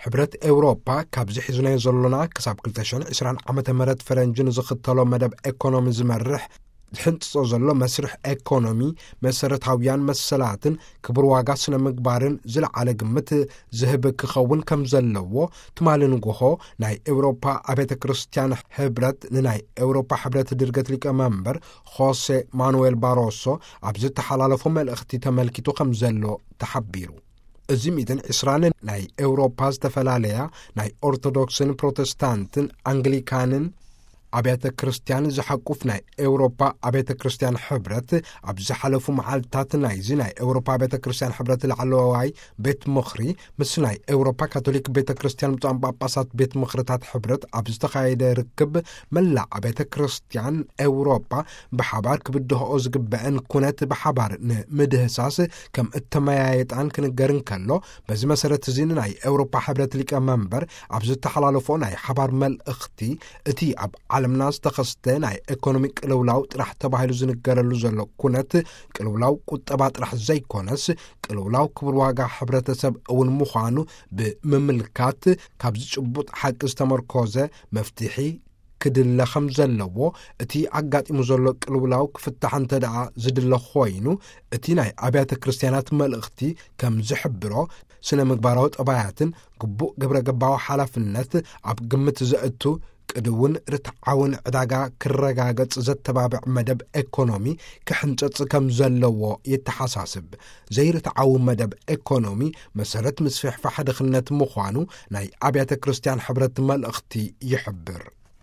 ሕብረት ኤውሮፓ ካብዚ ሒዙናዮ ዘሎና ክሳብ ክልተ ሽሕን ዕስራን ዓመተ ምህረት ፈረንጂ ንዝኽተሎ መደብ ኤኮኖሚ ዝመርሕ ዝሕንጽጾ ዘሎ መስርሕ ኤኮኖሚ፣ መሰረታውያን መሰላትን ክብር ዋጋ ስነ ምግባርን ዝለዓለ ግምት ዝህብ ክኸውን ከም ዘለዎ፣ ትማሊ ንጎሆ ናይ ኤውሮፓ ኣብያተ ክርስቲያን ሕብረት ንናይ ኤውሮፓ ሕብረት ድርገት ሊቀመንበር ሆሴ ማኑኤል ባሮሶ ኣብ ዝተሓላለፎ መልእኽቲ ተመልኪቱ ከም ዘሎ ተሓቢሩ። እዚ ሚእትን ዕስራን ናይ ኤውሮፓ ዝተፈላለያ ናይ ኦርቶዶክስን ፕሮቴስታንትን ኣንግሊካንን ኣብያተ ክርስቲያን ዝሓቁፍ ናይ ኤውሮፓ ኣብያተ ክርስቲያን ሕብረት፣ ኣብ ዝሓለፉ መዓልትታት ናይዚ ናይ ኤውሮፓ ኣብያተ ክርስቲያን ሕብረት ላዕለዋይ ቤት ምኽሪ ምስ ናይ ኤውሮፓ ካቶሊክ ቤተ ክርስቲያን ብፁዓን ጳጳሳት ቤት ምኽርታት ሕብረት ኣብ ዝተኻየደ ርክብ፣ መላእ ኣብያተ ክርስቲያን ኤውሮፓ ብሓባር ክብድህኦ ዝግበአን ኩነት ብሓባር ንምድህሳስ ከም እተመያየጣን ክንገር እንከሎ፣ በዚ መሰረት እዚ ናይ ኤውሮፓ ሕብረት ሊቀመንበር ኣብ ዝተሓላለፎ ናይ ሓባር መልእኽቲ፣ እቲ ኣብ ዓለምና ዝተኸስተ ናይ ኤኮኖሚ ቅልውላው ጥራሕ ተባሂሉ ዝንገረሉ ዘሎ ኩነት፣ ቅልውላው ቁጠባ ጥራሕ ዘይኮነስ፣ ቅልውላው ክብር ዋጋ ሕብረተሰብ እውን ምዃኑ ብምምልካት፣ ካብዚ ጭቡጥ ሓቂ ዝተመርኮዘ መፍትሒ ክድለ ከም ዘለዎ፣ እቲ ኣጋጢሙ ዘሎ ቅልውላው ክፍታሕ እንተ ደኣ ዝድለ ኮይኑ፣ እቲ ናይ ኣብያተ ክርስቲያናት መልእኽቲ ከም ዝሕብሮ፣ ስነ ምግባራዊ ጠባያትን ግቡእ ግብረ ገባዊ ሓላፍነት ኣብ ግምት ዘእቱ፣ ቅድውን ርትዓውን ዕዳጋ ክረጋገጽ ዘተባብዕ መደብ ኤኮኖሚ ክሕንጸጽ ከም ዘለዎ የተሓሳስብ። ዘይርትዓዊ መደብ ኤኮኖሚ መሰረት ምስፍሕፋሕ ድኽነት ምዃኑ ናይ ኣብያተ ክርስቲያን ሕብረት መልእኽቲ ይሕብር።